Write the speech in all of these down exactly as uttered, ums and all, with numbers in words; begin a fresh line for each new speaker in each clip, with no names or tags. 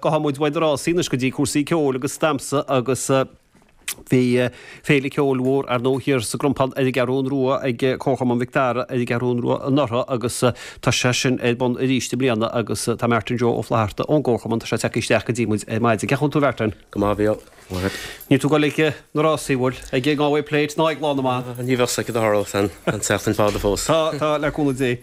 Gabhfaidh muid uaidh na rásaí anois go dtí cúrsaí ceoil agus damhsa agus bhí féile ceoil mhór ar ndóigh thiar sa gCrompán ar an gCeathrún Rua ag Comharchumann Mhic Dara ar an gCeathrún Rua anuraidh agus tá sé sin ar bun arís i mbliana agus tá Martin Joe Ó Flatharta ón gComharchumann, tá sé tagtha isteach go dtí muid ar maidin. Cén chaoi a bhfuil tú a Mhartin?
Go maith a Mhícheáil. Maith.
Níl tú ag dul ag na rásaí, bhfuil? Ag an Galway Plate ná ag Lá na mBan?
Ní bheadh a fhios agat a tharlódh san, an tseachtain fada fós.
Tá, tá, le cúnamh Dé.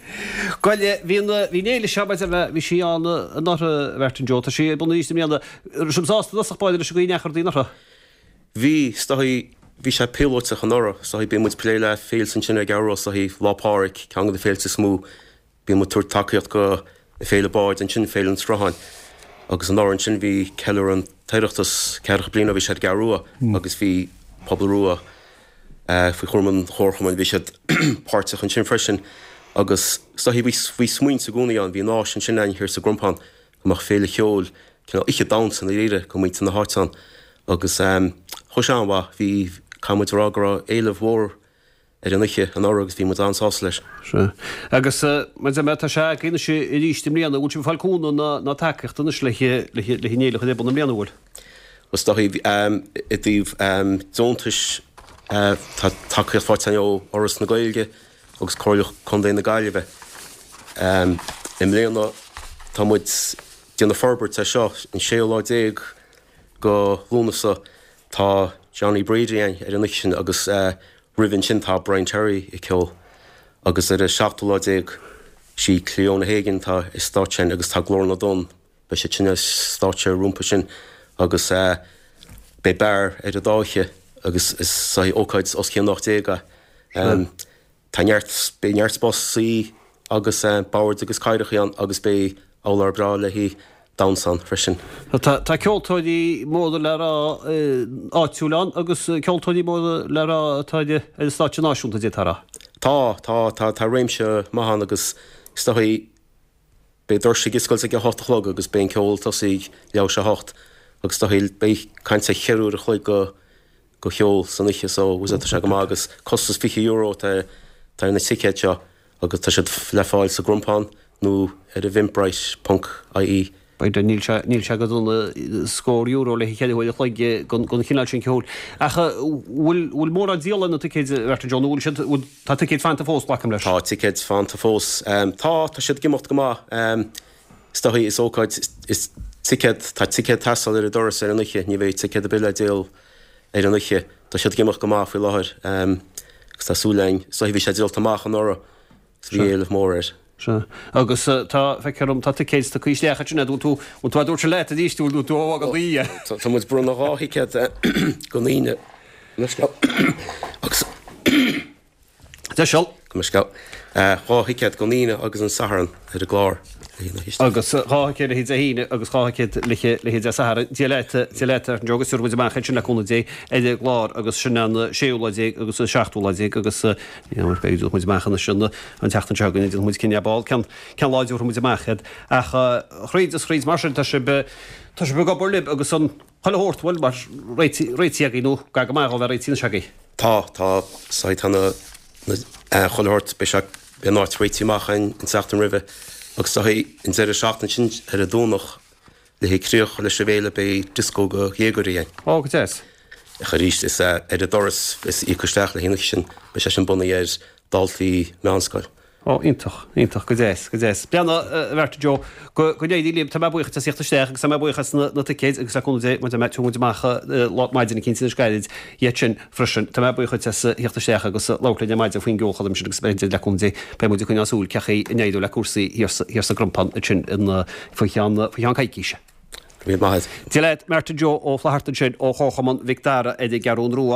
Bhuel, bhí an, bhí an fhéile seo, maidir le, bhí sí ann anuraidh, a Mhartin Joe, tá sí ar bun arís i mbliana. Raibh sibh sásta i dtosach báire leis an gcaoi a ndeachaigh rudaí anuraidh?
Bhí, is dóichí, bhí sé píolótach anuraidh, is dóichí, bíonn muid ag plé le féilte ansin ar an gCeathrú Rua, is dóichí, Lá Pádraig, ceann de na féilte is mó, bíonn muid ag tabhairt tacaíocht go Féile Báid ansin, Féile an tSrutháin. Agus anuraidh ansin bhí ceiliúradh an tOireachtas, ceathracha bliain ó bhí sé ar an gCeathrú Rua agus bhí Pobal Rua faoi chúram an Chomharchumainn, bhí siad páirteach ansin freisin agus is dóichí bhí, bhí smaointe i gcónaí ann, bhí an áis ansin againn thiar sa gCrompán go mbeadh féile cheoil, cineál oíche damhsa i ndáiríre go muintir na háite ann agus chuaigh sé an-mhaith, bhí, caithfidh muid a rá go raibh éileamh mhór ar an oíche anuraidh agus bhí muid an-sásta leis.
Sea. Agus mar a deir mé, tá sé agaibh anois arís i mbliana, bhfuil sibh ag fáil cúnamh ná, ná tacaíocht anois le, le, le an fhéile a chur ar bun i mbliana, bhfuil?
Is dóichí i dtaobh deontais tá tacaíocht faighte againn ó Fhoras na Gaeilge agus Comhairle Contae na Gaillimhe. I mbliana tá muid ag déanamh forbairt ar seo, an séú lá déag go Lúnasa tá Johnny Brady againn ar an oíche sin agus roimh ansin tá Brian Terry ag ceol agus ar an seachtú lá déag sí Cliona Hagan atá ar stáitse againn agus tá Glór na dTonn, beidh siad sin ar stáitse rompu sin agus beidh beár ar an dá oíche agus is ócáid os cionn ocht déag é. Tá neart, beidh neart spás suí agus boird agus cathaoireacha ann agus beidh urlár breá le haghaidh damhsa ann freisin.
Tá tá ceoltóirí móra le rá áitiúil ann agus ceoltóirí móra le rá atá ar an stáitse náisiúnta, d'fhéadfá a rá.
Tá, tá, tá, tá réimse maith ann agus is dóichí beidh doirse ag oscailt ag a hocht a chlog agus beidh an ceol ag tosaí ag leathuair tar éis a hocht agus is dóichí beidh caint ar cheithre uair a chloig go go cheol san oíche so tá sé go maith agus costas fiche euro atá ar na ticéid seo agus tá siad le fáil sa gCrompán nó ar eventbrite ponc ie.
B'fhéidir, níl sé, níl sé go dona scór euro le ceithre huaire a chloig den chineál sin ceoil. Ach bhfuil, bhfuil mórán díola ar na ticéid, a Mhartin Joe, nó bhfuil siad, bhfuil, tá ticéid fanta fós, glacaim leis?
Tá ticéid fanta fós. Tá, tá siad ag imeacht go maith. Is dóichí, is ócáid, is ticéad, tá ticéad ag teastáil ar an doras ar an oíche, ní bheidh ticéad ar bith le díol ar an oíche. Tá siad ag imeacht go maith faoi láthair agus tá súil againn, is dóichí bhí sé díolta amach anuraidh agus bhí éileamh mór air.
Sea. Agus tá, feictear dom, tá ticéid tugtha isteach ansin, bhfuil tú, bhfuil tú á dtabhairt leat arís, bhfuil tú á fhágáil daoithe?
Tá muid ag bronnadh dhá thicéad don Aoine agus.
Deis-seol.
Go mba sceal. Dhá thicéad don Aoine agus an Satharn ar an gclár.
Agus dhá thicéad le haghaidh Dé hAoine agus dhá thicéad le haghaidh Dé Sathairn. Dia leat, Dia leat, a Joe, agus tabharfaidh muid amach iad sin le cúnamh Dé ar an gclár agus sin an séú lá déag agus an seachtú lá déag agus beidh muid amach anois an tseachtain seo chugainn, déanfaidh muid cinneadh ar ball cén lá a dtabharfaidh muid amach iad. Ach thríd is thríd mar sin tá sibh, tá sibh ag obair libh agus an chuile shórt, bhuel, mar réitithe agaibh nó gar go maith dhó bheith réitithe anois agaibh.
Tá, tá, so tá na, na, chuile shórt, beidh sé, beidh an áit réitithe amach againn an tseachtain roimhe agus tá an deireadh seachtaine sin ar an Domhnach le haghaidh críoch leis an bhféile beidh dioscó do dhéagóirí againn.
Ó, go deas.
Ach arís is ar an doras is íoc isteach le haghaidh an oíche sin, beidh sé sin bunaithe ar dhaltaí meánscoil.
Ó, iontach, iontach, go deas, go deas. Breathnaigh, a Mhartin Joe, go, go n-éirí libh, tá mé buíoch as theacht isteach agus tá mé buíoch as na, na ticéid agus le cúnamh Dé, mar a deir mé, tabharfaidh muid amach lá, maidin eicínt anois gairid iad sin freisin. Tá mé buíoch dhuit as theacht isteach agus labhairt linn ar maidin faoin gceolchoirm sin agus b'fhéidir, le cúnamh Dé, beidh muid ag coinneáil súil cén chaoi a n-éireoidh le cúrsaí thiar sa, thiar sa gCrompán ansin in, faoi cheann, faoi cheann coicíse.
Go raibh míle maith agat.
Dia leat, Martin Joe Ó Flatharta ansin ó Chomharchumann Mhic Dara ar an gCeathrún Rua.